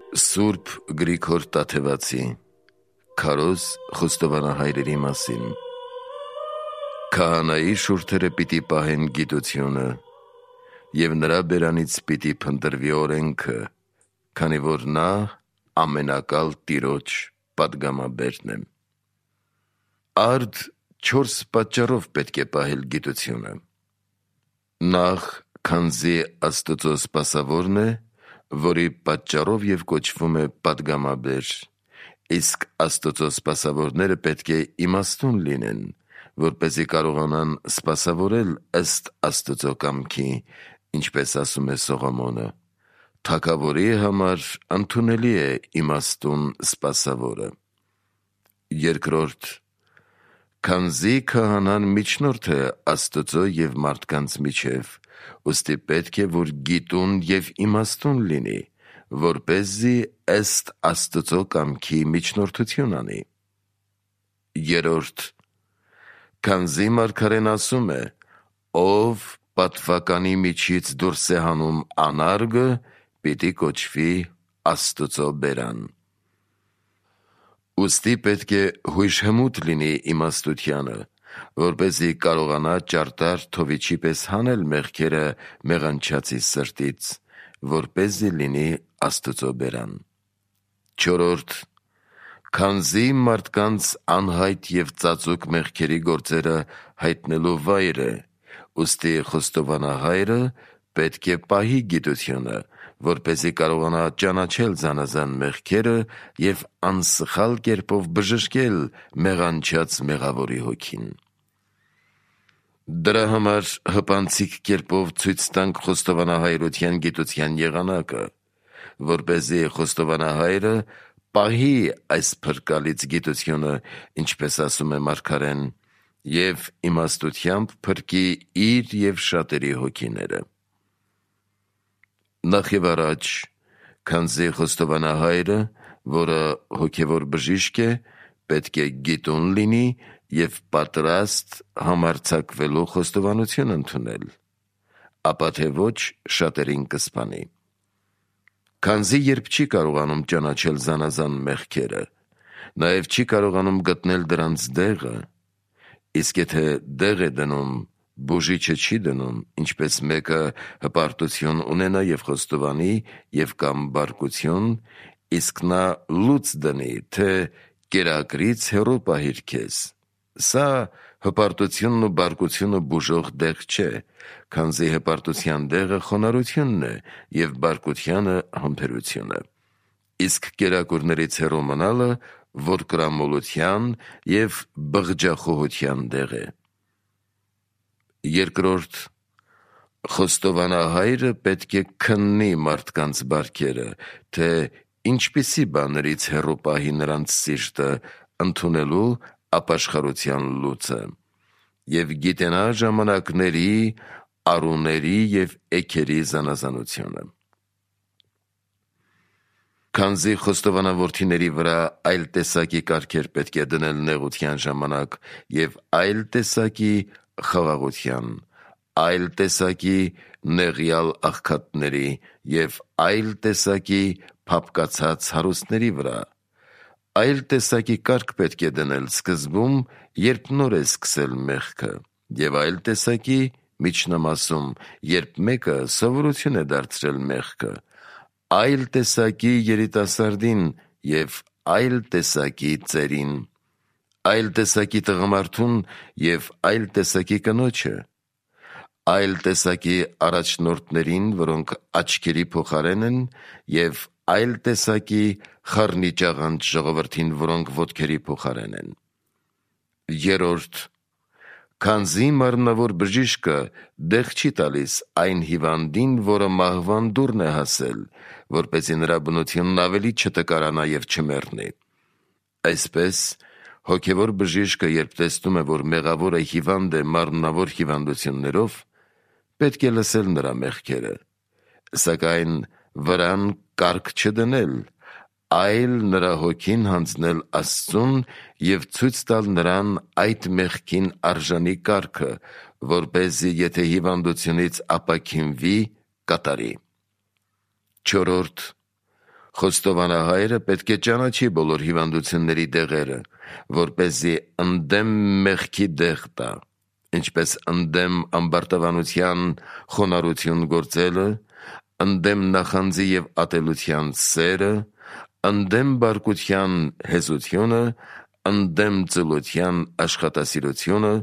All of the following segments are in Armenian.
Սուրբ Գրիգոր Տաթևացի Քարոզ խոստովանահայրերի մասին։ Քահանայի շուրթերը պիտի պահեն գիտությունը, և նրա բերանից պիտի փնտրվի օրենքը, քանի որ նա ամենակալ Տիրոջ պատգամաբերն է։ Արդ 4 պատճառով պետք է պահել գիտությունը։ Նախ, քանզի Աստծո սպասավորն է, որի պատճառով և կոչվում է պատգամաբեր, իսկ Աստծո սպասավորները պետք է իմաստուն լինեն, որպեսզի կարողանան սպասավորել ըստ Աստծո կամքի, ինչպես ասում է Սողոմոնը. թագավորի համար ընդունելի է իմաստուն սպասավորը։ Երկրորդ, քանզի քահանան միջնորդ է Աստծո և մարդկանց միջև, ուստի պետք է, որ գիտուն և իմաստուն լինի, որպեսզի ըստ Աստծո կամքի միջնորդություն անի։ Երրորդ, քանզի մարգարեն ասում է. ով պատվականի միջից դուրս է հանում անարգը, պիտի կոչվի Աստծո բերան։ Ուստի պետք է հույժհմուտ լինի իմաստությանը, որպեսզի կարողանա ճարտար թովիչի պես հանել մեղքերը մեղանչածի սրտից, որպեսզի լինի Աստծո բերան։ Չորրորդ, քանզի մարդկանց անհայտ և ծածուկ մեղքերի գործերը հայտնելու վայր է, ուստի խոստովանահայրը պետք է պահի գիտությունը, որպեսզի կարողանա ճանաչել զանազան մեղքերը և անսխալ կերպով բժշկել մեղանչած մեղավորի հոգին։ Դրա համար հպանցիկ կերպով ցույց տանք խոստովանահայրության գիտության եղանակը, որպեսզի խոստովանահայրը պահի այս փրկալից գիտությունը, ինչպես ասում է մարգարեն, և իմաստությամբ փրկի իր և շատերի հոգիները։ Նախ և առաջ, քանզի խոստովանահայրը, որը հոգևոր բժիշկ է, պետք է գիտուն լինի և պատրաստ համարձակվելու խոստովանություն ընդունել, ապա թե ոչ շատերին կսպանի։ Քանզի երբ չի կարողանում ճանաչել զանազան մեղքերը, նաև չի կարողանում գտնել դրանց դեղը, իսկ եթե դեղ է դնում, բուժիչը չի դնում, ինչպես մեկը հպարտություն ունենա և խոստովանի և կամ բարկություն, իսկ նա լուծ դնի, թե կերակրից հեռու պահիր քեզ, սա հպարտությունն ու բարկությունը բուժող դեղ չէ, քանզի հպարտության դեղը խոնարհությունն է և բարկությանը համբերությունը, իսկ կերակուրներից հեռու մնալը որդկրամոլության և բղջախոհության դեղ է։ Երկրորդ, խոստովանահայրը պետք է քննի մարդկանց բարքերը, թե ինչպիսի բաներից հեռու պահի նրանց սիրտը ընդունելու ապաշխարության լուծը և գիտենա ժամանակների, առուների և էգերի զանազանությունը։ Քանզի խոստովանավորթիների վրա այլ տեսակի կարգեր պետք է դնել նեղության ժամանակ և այլ տեսակի խաղաղության, այլ տեսակի նեղյալ աղքատների և այլ տեսակի փափկացած հարուստների վրա, այլ տեսակի կարգ պետք է դնել սկզբում, երբ նոր է սկսել մեղքը, և այլ տեսակի միջնամասում, երբ մեկը սովորություն է դարձրել մեղքը, այլ տեսակի երիտասարդին և այլ տեսակի ծերին, այլ տեսակի տղամարդուն և այլ տեսակի կնոջը, այլ տեսակի առաջնորդներին, որոնք աչքերի փոխարեն են, և այլ տեսակի խառնիճաղանճ ժողովրդին, որոնք ոտքերի փոխարեն են։ Երրորդ, քանզի մարմնավոր բժիշկը դեղ չի տալիս այն հիվանդին, որը մահվան դուռն է հասել, որպեսզի նրա բնությունն ավելի չտկարանա և չմեռնի։ Այսպես, հոգևոր բժիշկը, երբ տեսնում է, որ մեղավորը հիվանդ է մարմնավոր հիվանդություններով, պետք է լսել նրա մեղքերը, սակայն վրան կարգ չդնել, այլ նրա հոգին հանձնել Աստծուն և ցույց տալ նրան այդ մեղքին արժանի կարգը, որպեսզի եթե հիվանդությունից ապաքինվի, կատարի։ Չորրորդ, Խոստովանահայրը պետք է ճանաչի բոլոր հիվանդությունների դեղերը, որպեսզի ընդդեմ մեղքի դեղ տա, ինչպես ընդդեմ ամբարտավանության խոնարհություն գործելը, ընդդեմ նախանձի և ատելության սերը, ընդդեմ բարկության հեզությունը, ընդդեմ ծլության աշխատասիրությունը,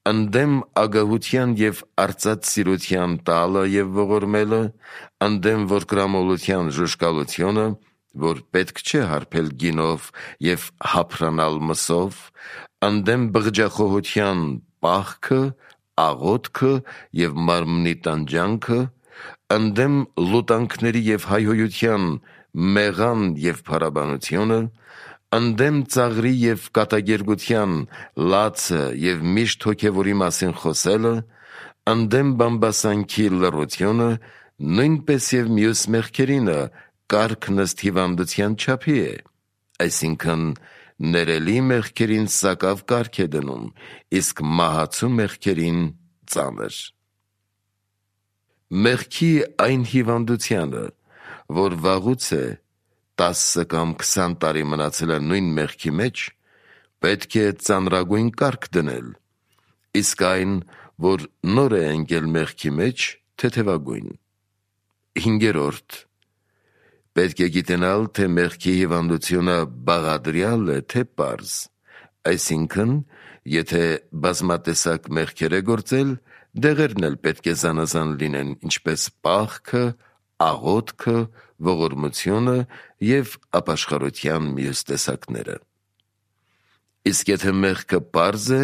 ընդդեմ ագահության և արծաթսիրության տալը և ողորմելը, ընդդեմ որկրամոլության ժուժկալությունը, որ պետք չէ հարբել գինով և հափրանալ մսով, ընդդեմ բղջախոհության պահքը, աղոթքը և մարմնի տանջանքը, ընդդեմ լուտանքների և հայհոյության մեղան և փառաբանությունը, ընդդեմ ծաղրի և կատակերգության լացը և միշտ հոգևորի մասին խոսելը, ընդդեմ բամբասանքի լռությունը, նույնպես և մյուս մեղքերինը կարգն ըստ հիվանդության չափի է, այսինքն ներելի մեղքերին սակավ կարգ է դնում, իսկ մահացու մեղքերին ծանր։ Մեղքի այն հիվանդությանը, որ վաղուց է 10 կամ 20 տարի մնացել է նույն մեղքի մեջ, պետք է ծանրագույն կարգ դնել, իսկ այն, որ նոր է ընկել մեղքի մեջ, թեթևագույն։ 5. Պետք է գիտենալ, թե մեղքի հիվանդությունը բաղադրյալ է, թե պարզ, այսինքն, եթե բազմատեսակ մեղքեր է գործել, դեղերն էլ պետք է զանազան լինեն, ինչպես պահքը, աղոթքը, ողորմությունը և ապաշխարության մյուս տեսակները։ Իսկ եթե մեղքը պարզ է,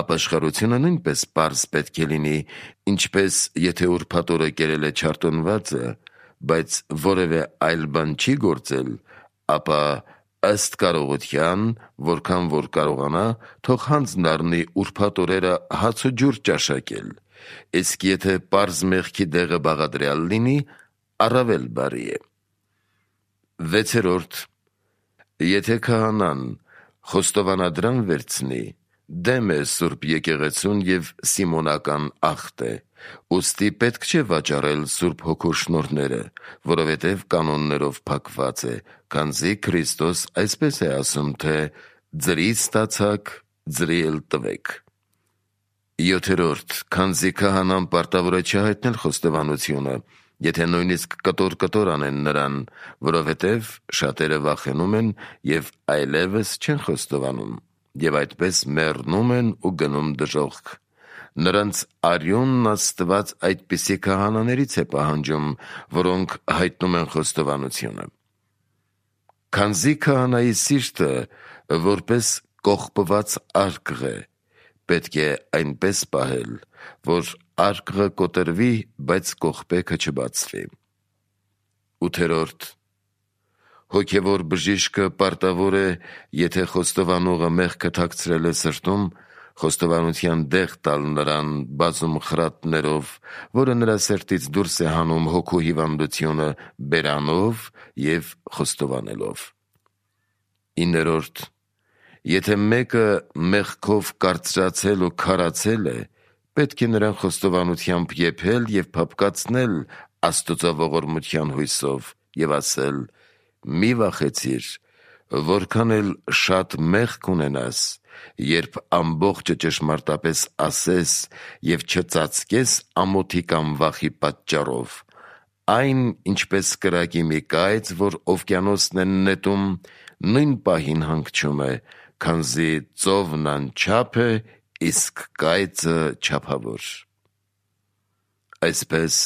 ապաշխարությունը նույնպես պարզ պետք է լինի, ինչպես եթե ուրբաթ օրը կերել է չարտոնվածը, բայց որևէ այլ բան չի գործել, ապա ըստ կարողության, որքան որ կարողանա, թող հանձն առնի ուրբաթ օրերը հաց ու ջուր ճաշակել, իսկ եթե պարզ մեղքի դեղը բաղադրյալ լինի, առավել բարի է։ 6. Եթե քահանան խոստովանադրան վերցնի, դեմ է Սուրբ եկեղեցուն և սիմոնական ախտ է, ուստի պետք չէ վաճառել Սուրբ Հոգու շնորհները, որովհետև կանոններով փակված է, քանզի Քրիստոս այսպես է ասում, թե «Ձրից ստացաք, ձրի էլ տվեք»։ 7. Քանզի քահանան պարտավոր է չհայտնել խոստովանությունը, եթե նույնիսկ կտոր անեն նրան, որովհետև շատերը վախենում են և այլևս չեն խոստովանում, և այդպես մեռնում են ու գնում դժոխք։ Նրանց արյունն Աստված այդպիսի քահանաներից է պահանջում, որոնք հայտնում են խոստովանությունը։ Քանզի քահանայի սիրտը որպես կողպված արկղ է, պետք է այնպես պահել, որ արկղը կոտրվի, բայց կողպեքը չբացվի։ 8. Հոգևոր բժիշկը պարտավոր է, եթե խոստովանողը մեղքը թաքցրել է սրտում, խոստովանության դեղ տալ նրան բազում խրատներով, որը նրա սրտից դուրս է հանում հոգու հիվանդությունը բերանով և խոստովանելով։ 9. Եթե մեկը մեղքով կարծրացել ու քարացել է, պետք է նրան խոստովանությամբ եփել և փափկացնել Աստծո ողորմության հույսով և ասել. «Մի վախեցիր, որքան էլ շատ մեղք ունենաս, երբ ամբողջը ճշմարտապես ասես և չծածկես ամոթի կամ վախի պատճառով, այն ինչպես կրակի մի կայծ, որ օվկիանոսն է նետում, նույն պահին հանգչում է, քանզի ծովն անչափ է, իսկ կայծը չափավոր»։ Այսպես,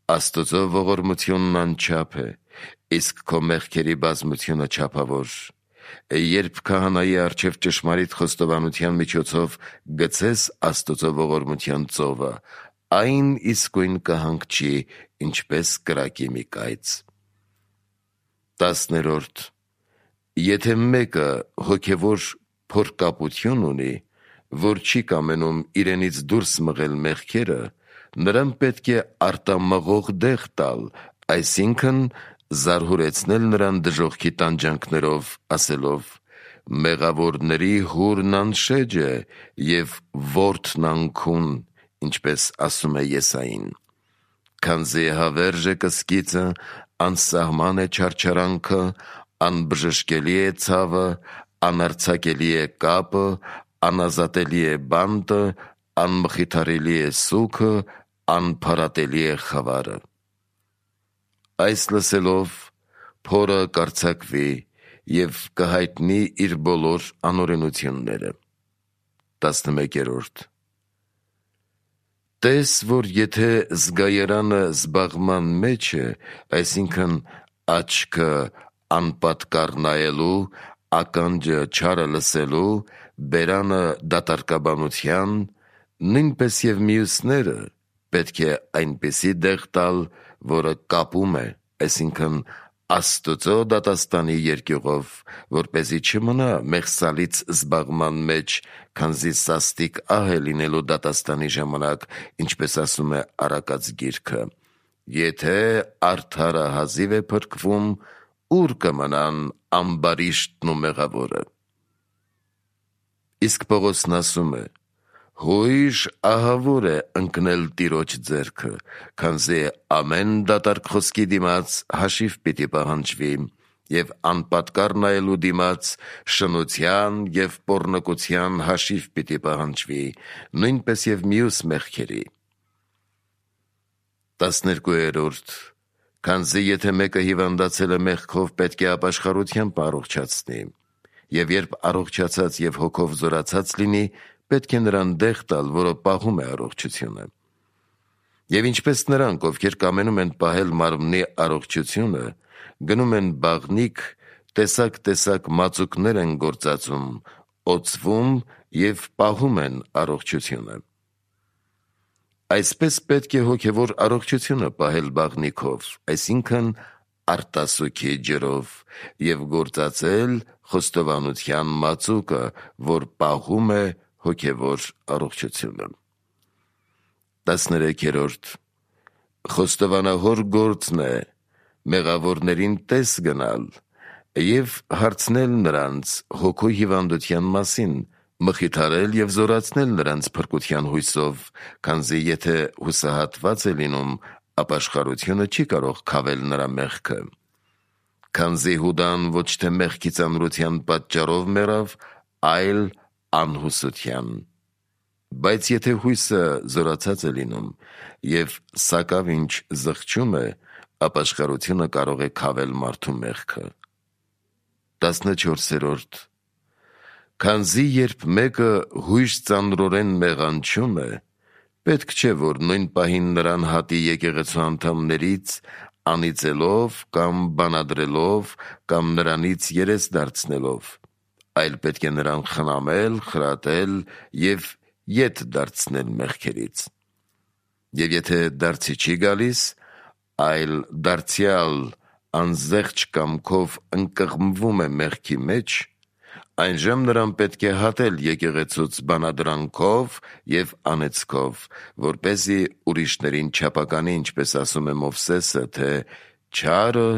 Աստծո ողորմությունն անչափ է, իսկ քո մեղքերի բազմությունը չափավոր։ Երբ քահանայի առջև ճշմարիտ խոստովանության միջոցով գցես Աստծո ողորմության ծովը, այն իսկույն կհանգչի, ինչպես կրակի մի կայծ։ 10. Եթե մեկը հոգևոր փորկապություն ունի, որ չի կամենում իրենից դուրս մղել մեղքերը, նրան պետք է արտամղող դեղ տալ, այսինքն զարհուրեցնել նրան դժոխքի տանջանքներով, ասելով. «Մեղավորների հուրն անշեջ է և որդն անքուն», ինչպես ասում է Եսային։ Քանզի հավերժ է կսկիծը, անսահման է չարչարանքը, անբժշկելի է ցավը, անարձակելի է կապը, անազատելի է բանտը, անմխիթարելի է սուգը, անփարատելի է խավարը։ Այս լսելով փորը կարձակվի և կհայտնի իր բոլոր անօրենությունները։ 11. Տես, որ եթե զգայարանը զբաղման մեջ է, այսինքն աչքը անպատկառ նայելու, ականջը չարը լսելու, բերանը դատարկաբանության, նույնպես և մյուսները պետք է այնպիսի դեղ տալ, որը կապում է, այսինքն Աստծո դատաստանի երկյուղով, որպեսզի չմնա մեղսալից զբաղման մեջ, քանզի սաստիկ ահ է լինելու դատաստանի ժամանակ, ինչպես ասում է Առակաց գիրքը. եթե արդարը հազիվ է փրկվում, ուր կմնան ամբարիշտն ու մեղավորը։ Իսկ Պողոսն ասում է. հույժ ահավոր է ընկնել Տիրոջ ձեռքը, քանզի ամեն դատարկ խոսքի դիմաց հաշիվ պիտի պահանջվի, և անպատկառ նայելու դիմաց շնության և պոռնկության հաշիվ պիտի պահանջվի, նույնպես և մյուս մեղքերի։ 12. Քանզի եթե մեկը հիվանդացել է մեղքով, պետք է ապաշխարությամբ առողջացնի, և երբ առողջացած և հոգով զորացած լինի, պետք է նրան դեղ տալ, որը պահում է առողջությունը։ Եվ ինչպես նրանք, ովքեր կամենում են պահել մարմնի առողջությունը, գնում են բաղնիք, տեսակ մածուկներ են գործածում, օծվում և պահում են առողջությունը։ Այսպես պետք է հոգևոր առողջությունը պահել բաղնիքով, այսինքն արտասուքի ջրով, և գործածել խոստովանության մածուկը, որ պահում է հոգևոր առողջությունը։ 13. Խոստովանահոր գործն է մեղավորներին տես գնալ և հարցնել նրանց հոգու հիվանդության մասին, մխիթարել և զորացնել նրանց փրկության հույսով, քանզի եթե հուսահատված է լինում, ապաշխարությունը չի կարող քավել նրա մեղքը։ Քանզի Հուդան ոչ թե մեղքի ծանրության պատճառով մեռավ, այլ անհուսության։ Բայց եթե հույսը զորացած է լինում և սակավ ինչ զղջում է, ապաշխարությունը կարող է քավել մարդու մեղքը։ 14. Քանզի երբ մեկը հույժ ծանրորեն մեղանչում է, պետք չէ, որ նույն պահին նրան հատի եկեղեցու անդամներից, անիծելով կամ բանադրելով կամ նրանից երես դարձնելով, այլ պետք է նրան խնամել, խրատել և ետ դարձնել մեղքերից։ Եվ եթե դարձի չի գալիս, այլ դարձյալ անզեղչ կամքով ընկղմվում է մեղքի մեջ, այնժամ նրան պետք է հատել եկեղեցուց բանադրանքով և անեծքով, որպեսզի ուրիշներին չափականի, ինչպես ասում է Մովսեսը, թե չարը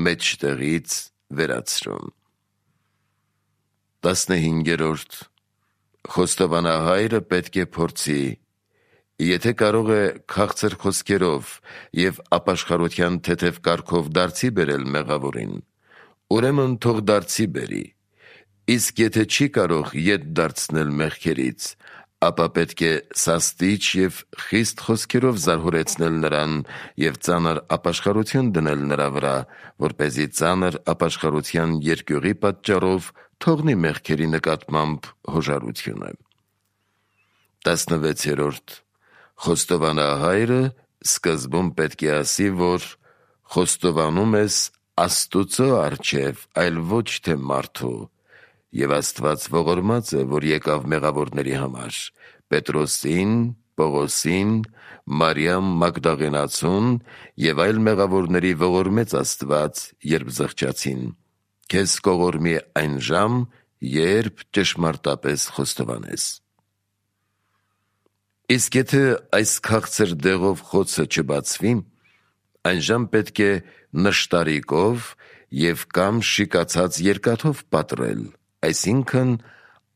մեջտեղից վերացրում։ 15. Խոստովանահայրը պետք է փորձի, եթե կարող է քաղցր խոսքերով և ապաշխարության թեթև կարգով դարձի բերել մեղավորին, ուրեմն թող դարձի բերի, իսկ եթե չի կարող ետ դարձնել մեղքերից, ապա պետք է սաստիչ և խիստ խոսքերով զարհուրեցնել նրան և ծանր ապաշխարություն դնել նրա վրա, որպեսզի ծանր ապաշխարության երկյուղի պատճառով թողնի մեղքերի նկատմամբ հոժարությունը։ 16. Խոստովանահայրը սկզբում պետք է ասի, որ խոստովանում ես Աստուծո առջև, այլ ոչ թե մարդու, և Աստված ողորմած է, որ եկավ մեղավորների համար, Պետրոսին, Պողոսին, Մարիամ Մագդաղենացուն և այլ մեղավորների ողորմեց Աստված, երբ զղջացին, քեզ կողորմի այն ժամ, երբ ճշմարտապես խոստովանես։ Իսկ եթե այս քաղցր դեղով խոցը չբացվի, այնժամ պետք է նշտարիկով և կամ շիկացած երկաթով պատռել, այսինքն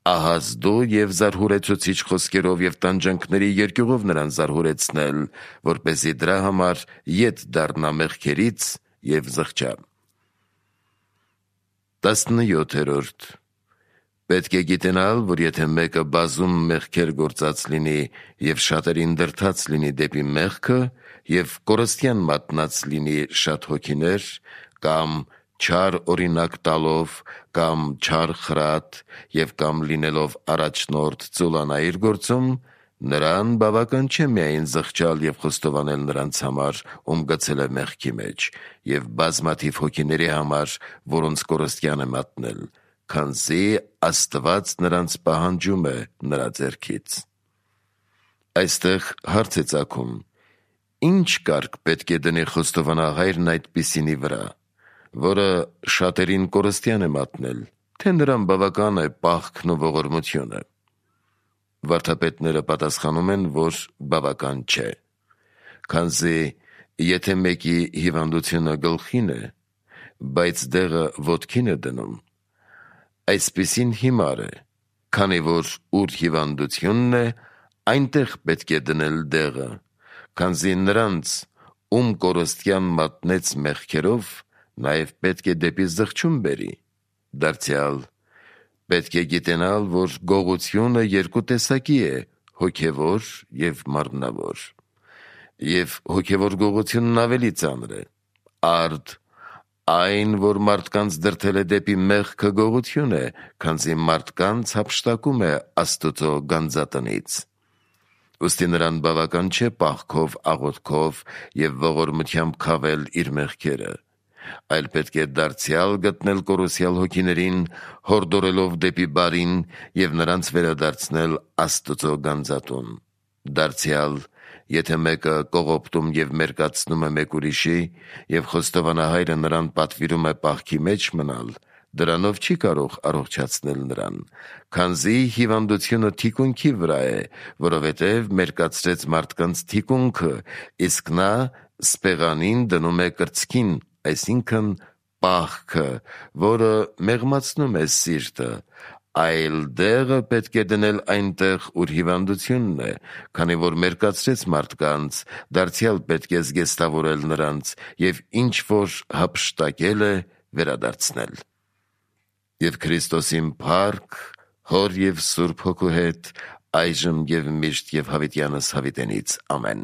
ահազդու և զարհուրեցուցիչ խոսքերով և տանջանքների երկյուղով նրան զարհուրեցնել, որպեսզի դրա համար ետ դառնա մեղքերից և զղջա։ 17. Պետք է գիտենալ, որ եթե մեկը բազում մեղքեր գործած լինի և շատերին դրդած լինի դեպի մեղքը և կորստյան մատնած լինի շատ հոգիներ, կամ չար օրինակ տալով, կամ չար խրատ և կամ լինելով առաջնորդ ծուլանա իր գործում, նրան բավական չէ միայն զղջալ և խոստովանել նրանց համար, ում գցել է մեղքի մեջ, և բազմաթիվ հոգիների համար, որոնց կորստյան է մատնել, քանզի Աստված նրանց պահանջում է նրա ձեռքից։ Այստեղ հարց է ծագում. ինչ կարգ պետք է դնի խոստովանահայրն այդպիսինի վրա, որը շատերին կորստյան է մատնել, թե նրան բավական է պաղքն ու ողորմությունը։ Վարդապետները պատասխանում են, որ բավական չէ, քանզի եթե մեկի հիվանդությունը գլխին է, բայց դեղը ոտքին է դնում, այսպիսին հիմար է, քանի որ ուր հիվանդությունն է, այնտեղ պետք է դնել դեղը, քանզի նրանց, ում կորստյան մատնեց մեղքերով, նաև պետք է դեպի զղջում բերի։ Դարձյալ պետք է գիտենալ, որ գողությունը երկու տեսակի է, հոգևոր և մարմնավոր, և հոգևոր գողությունն ավելի ծանր է։ Արդ այն, որ մարդկանց դրդել է դեպի մեղքը, գողություն է, քանզի մարդկանց հափշտակում է Աստուծո գանձատնից։ Ուստի նրան բավական չէ պաղքով, աղոթքով և ողորմությամբ քավել իր մեղքերը, այլ պետք է դարձյալ գտնել կորուսյալ հոգիներին, հորդորելով դեպի բարին և նրանց վերադարձնել Աստուծո գանձատուն։ Դարձյալ, եթե մեկը կողոպտում և մերկացնում է մեկ ուրիշի, և խոստովանահայրը նրան պատվիրում է պաղքի մեջ մնալ, դրանով չի կարող առողջացնել նրան, քանզի հիվանդությունը թիկունքի վրա է, որովհետև մերկացրեց մարդկանց թիկունքը, իսկ նա սպեղանին դնում է կրծքին, այսինքն պաղքը, որը մեղմացնում է սիրտը, այլ դեղը պետք է դնել այնտեղ, ուր հիվանդությունն է, քանի որ մերկացրեց մարդկանց, դարձյալ պետք է զգեստավորել նրանց և ինչ որ հափշտակել է, վերադարձնել։ Եվ Քրիստոսին փառք Հոր և Սուրբ Հոգու հետ, այժմ և միշտ և հավիտյանս հավիտենից։ Ամեն։